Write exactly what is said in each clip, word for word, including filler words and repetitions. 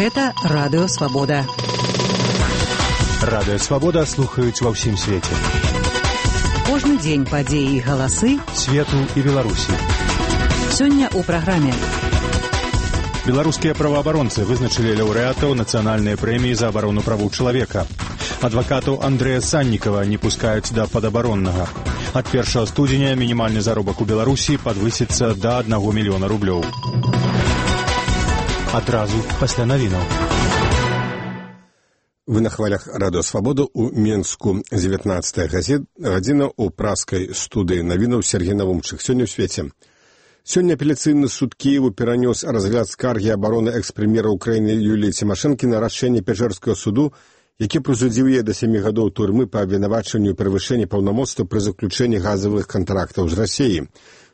Гэта Радыё Свабода. Радыё Свабода слухаюць ва ўсім свеце. Кожны дзень падзеі і галасы свету і Беларусі. Сёння ў праграме. Беларускія праваабаронцы вызначылі лаўрэатаў нацыянальнай прэміі за абарону правоў чалавека. Адвакатаў Андрэя Саннікава не пускаюць да падабароннага. Ад першага студзеня мінімальны заробак у Беларусі падвысіцца да аднаго мільёна рублёў. Адразу пасля навінаў. Вы на хвалях Радыё Свабода ў Менску. дзевятнаццатая гадзіна ў праскай студыі навінаў Сергей Навумчык. Сёння ў свеце. Сёння апеляцыйны суд Кіеву перанёс разгляд скаргі абароны экс-прэм'ера Украіны Юліі Цімашэнкі на рашэнне Печерскага суду, які прысудзіў яе да сямі гадоў турмы па абвінавачанню перавышэння паўнамоцтва пры заключэнні газавых кантрактаў з Расіяй.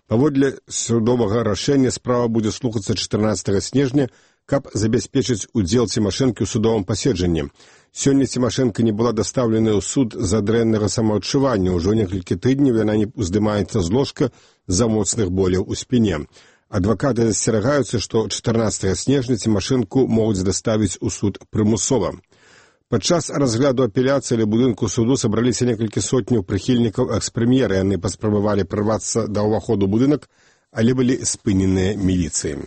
Паводле судовага рашэння справа будзе слухацца чатырнаццатага снежня, каб забяспечыць удзел Цімашэнкі ў судовым паседжанні. Сёння Цімашэнка не была дастаўленая ў суд з-за дрэннага самаадчування. Ужо некалькі тыдняў яна не уздымаецца з ложка з-за моцных боляў у спіне. Адвакаты засцерагаюцца, што чатырнаццатага снежня Цімашэнку могуць даставіць у суд прымусова. Падчас разгляду апеляцыі ля будынку суду сабраліся некалькі сотняў прыхільнікаў экс-прэм'ера. Яны паспрабавалі прарвацца да ўваходу ў будынак, але былі спыненыя міліцыяй.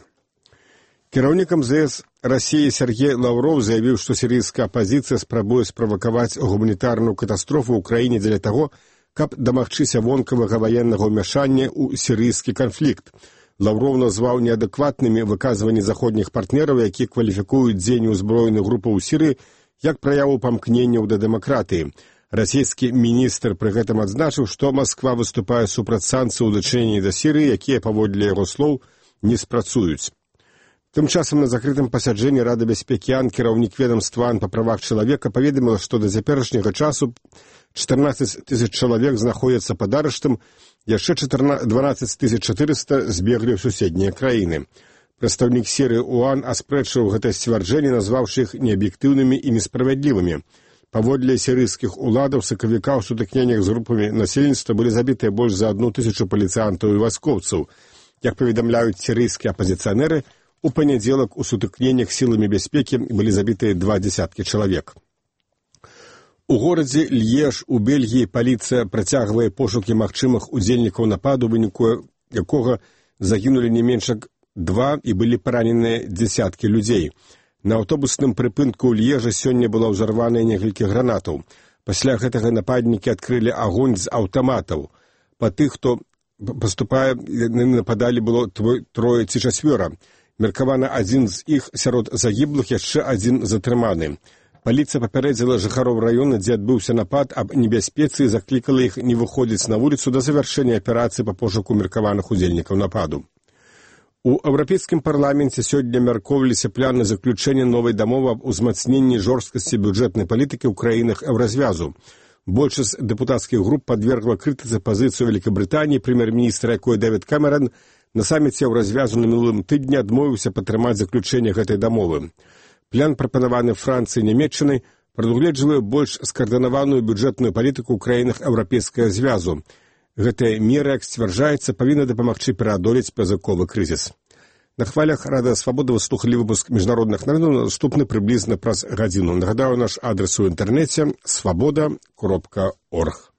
Кіраўнік эм зэ эс Расіі Сергей Лаўров заявіў, што сірыйская апазіцыя спрабуе справакаваць гуманітарную катастрофу ў краіне дзеля таго, каб дамагчыся вонкавага ваеннага ўмяшання ў сірыйскі канфлікт. Лаўров назваў неадэкватнымі выказванні заходніх партнераў, які кваліфікуюць дзеянне ўзброеных групаў у Сірыі як праяву памкненняў да дэмакратыі. Расійскі міністр пры гэтым адзначыў, што Масква выступае супраць санкцый у дачыненні да Сірыі, якія, паводле яго слоў, не спрацуюць. Тым часам на закрытым пасяджэнні Рады бяспекі АН кіраўнік ведамства АН па правах чалавека паведаміла, што да цяперашняга часу чатырнаццаць тысяч чалавек знаходзяцца пад арыштам, яшчэ дванаццаць тысяч чатырыста збеглі ў суседнія краіны. Прадстаўнік Сірыі ў АН аспрэчыў гэтае сцвярджэнне, назваўшы іх неаб'ектыўнымі і несправядлівымі. Паводле сірыйскіх уладаў сакавіка ў сутыкненнях з групамі насельніцтва былі забітыя больш за адну тысячу паліцыянтаў і вайскоўцаў. Як паведамляюць сірыйскія апазіцыянеры, у панядзелак у сутыкненнях сіламі бяспекі былі забітыя два дзесяткі чалавек. У горадзе Льеж у Бельгіі паліцыя працягвае пошукі магчымых удзельнікаў нападу, у выніку якога загінулі не менш як два і былі параненыя дзесяткі людзей. На аўтобусным прыпынку ў Льежа сёння была ўзарваная некалькі гранатаў. Пасля гэтага нападнікі адкрылі агонь з аўтаматаў. Па тых, хто паступае, яны нападалі было трое ці чацвёра. Меркавана адзін з іх сярод загіблых, яшчэ адзін затрыманы. Паліцыя папярэдзіла жыхароў раёна, дзе адбыўся напад, аб небяспецы і заклікала іх не выходзіць на вуліцу да завяршэння аперацыі па пошуку меркаваных удзельнікаў нападу. У Еўрапейскім парламенце сёння мяркоўваліся планы заключэння новай дамовы аб узмацненні жорсткасці бюджэтнай палітыкі ў краінах еўразвязу. Большасць дэпутацкіх груп падвергла крытыцы пазіцыю Вялікабрытаніі, прэм'ер-міністра якой Дэвід Кэмерон на саміце еўразвязу на мінулым тыдні адмовіўся падтрымаць заключэнне гэтай дамовы. План, прапанаваны Францыі і Нямецчынай, прадугледжвае больш скаардынаваную бюджэтную палітыку ў краінах еўрапейскага звязу. Гэтая мера, як сцвярджаецца, павінна дапамагчы пераадолець пазыковы крызіс. На хвалях Радыё Свабода вы слухалі выпуск міжнародных навінаў, наступны прыблізна праз гадзіну. Нагадаю, наш адрес у інтэрнэце свабода кропка орг.